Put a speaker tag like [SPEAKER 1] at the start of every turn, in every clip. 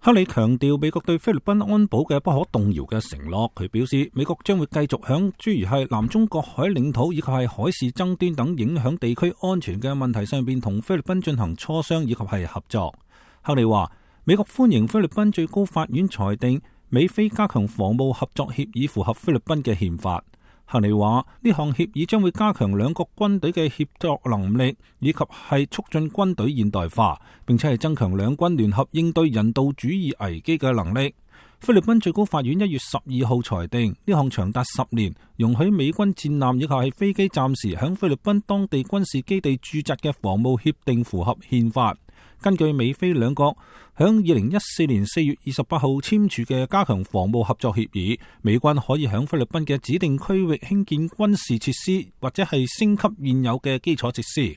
[SPEAKER 1] 克里強調美國對菲律賓安保嘅不可動搖嘅承諾。佢表示，美國將會繼續響諸如係南中國海領土以及係海事爭端等影響地區安全嘅問題上邊同菲律賓進行磋商以及係合作。克里話，美國歡迎菲律賓最高法院裁定美菲加強防務合作協議符合菲律賓嘅憲法。克里話，呢項協議將會加強兩國軍隊嘅協作能力，以及係促進軍隊現代化，並且係增強兩軍聯合應對人道主義危機嘅能力。菲律賓最高法院1月12號裁定，呢項長達10年，容許美軍戰艦以及係飛機暫時響菲律賓當地軍事基地駐紮嘅防務協定符合憲法。根據美菲兩國響2014年4月28號簽署嘅加強防務合作協議，美軍可以響菲律賓嘅指定區域興建軍事設施，或者係升級現有嘅基礎設施。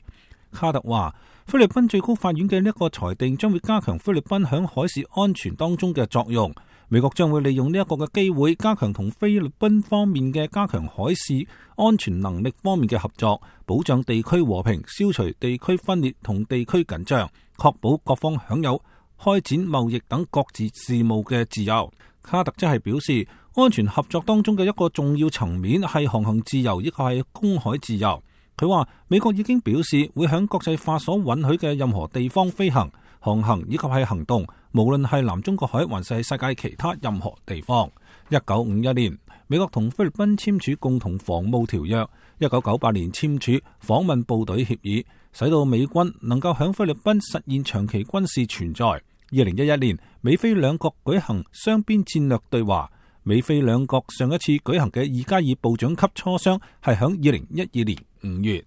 [SPEAKER 1] 卡特話，菲律賓最高法院嘅呢一個裁定將會加強菲律賓響海事安全當中嘅作用。美國將會利用呢一個嘅機會，加強同菲律賓方面嘅加強海事安全能力方面嘅合作，保障地區和平，消除地區分裂同地區緊張，確保各方享有開展貿易等各自事務嘅自由。卡特則係表示，安全合作當中嘅一個重要層面係航行自由，亦係公海自由。佢話，美國已經表示會響國際法所允許嘅任何地方飛行、航行以及係行動，無論係南中國海還是世界其他任何地方。1951年，美國同菲律賓簽署共同防務條約；1998年簽署訪問部隊協議，使到美軍能夠響菲律賓實現長期軍事存在。2011年，美菲兩國舉行雙邊戰略對話。美菲兩國上一次舉行嘅2+2部長級磋商係響2012年5月。